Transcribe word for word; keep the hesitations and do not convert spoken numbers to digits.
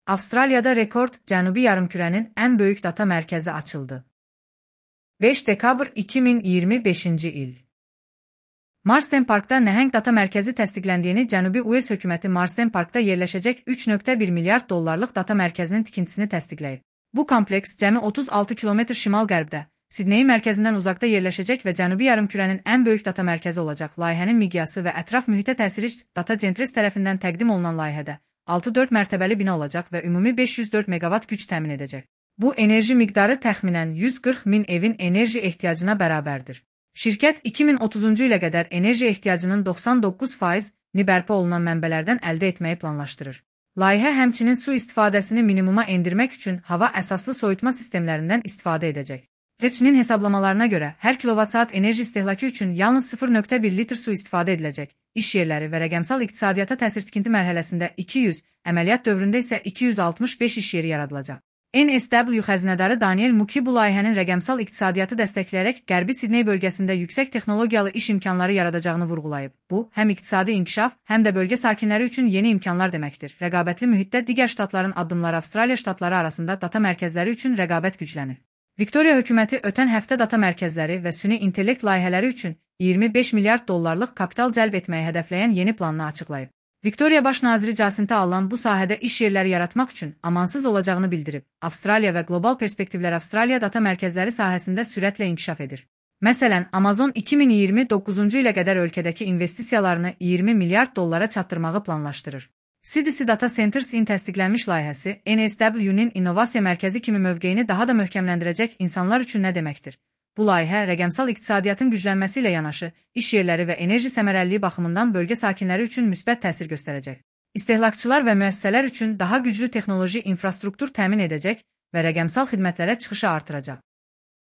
Avustraliyada rekord Cənubi yarımkürənin ən böyük data mərkəzi açıldı. beş dekabr iki min iyirmi beşinci il. Marsden Parkda nəhəng data mərkəzi təsdiqləndiyini Cənubi Uels hökuməti Marsden Parkda yerləşəcək üç nöqtə bir milyard dollarlıq data mərkəzinin tikintisini təsdiqləyib. Bu kompleks cəmi otuz altı kilometr şimal-qərbdə, Sidneyin mərkəzindən uzaqda yerləşəcək və Cənubi yarımkürənin ən böyük data mərkəzi olacaq. Layihənin miqyası və ətraf mühitə təsiri Data Centres tərəfindən təqdim olunan layihədə altı dörd mərtəbəli bina olacaq və ümumi beş yüz dörd meqavat güc təmin edəcək. Bu enerji miqdarı təxminən yüz qırx min evin enerji ehtiyacına bərabərdir. Şirkət iki min otuzuncu ilə qədər enerji ehtiyacının doxsan doqquz faizini bərpa olunan mənbələrdən əldə etməyi planlaşdırır. Layihə həmçinin su istifadəsini minimuma endirmək üçün hava əsaslı soyutma sistemlərindən istifadə edəcək. Reçinin hesablamalarına görə hər kilovat-saat enerji istehlakı üçün yalnız sıfır nöqtə bir litr su istifadə ediləcək. İş yerləri və rəqəmsal iqtisadiyyata təsir tikinti mərhələsində iki yüz, əməliyyat dövründə isə iki yüz altmış beş iş yeri yaradılacaq. N S W xəzinədarı Daniel Muki bu layihənin rəqəmsal iqtisadiyyatı dəstəkləyərək Qərbi Sidney bölgəsində yüksək texnologiyalı iş imkanları yaradacağını vurğulayıb. Bu, həm iqtisadi inkişaf, həm də bölgə sakinləri üçün yeni imkanlar deməkdir. Rəqabətli mühitdə digər ştatların addımları Avstraliya ştatları arasında data mərkəzləri üçün rəqabət güclənir. Viktoriya hökuməti ötən həftə data mərkəzləri və süni intellekt layihələri üçün iyirmi beş milyard dollarlıq kapital cəlb etməyi hədəfləyən yeni planını açıqlayıb. Viktoriya baş naziri Jacinta Allan bu sahədə iş yerləri yaratmaq üçün amansız olacağını bildirib. Avstraliya və qlobal perspektivlər Avstraliya data mərkəzləri sahəsində sürətlə inkişaf edir. Məsələn, Amazon iki min iyirmi doqquzuncu ilə qədər ölkədəki investisiyalarını iyirmi milyard dollara çatdırmağı planlaşdırır. C D C Data Centers-in təsdiqlənmiş layihəsi N S W-nin innovasiya mərkəzi kimi mövqeyini daha da möhkəmləndirəcək insanlar üçün nə deməkdir? Bu layihə rəqəmsal iqtisadiyyatın güclənməsi ilə yanaşı, iş yerləri və enerji səmərəliliyi baxımından bölgə sakinləri üçün müsbət təsir göstərəcək. İstehlakçılar və müəssisələr üçün daha güclü texnoloji infrastruktur təmin edəcək və rəqəmsal xidmətlərə çıxışı artıracaq.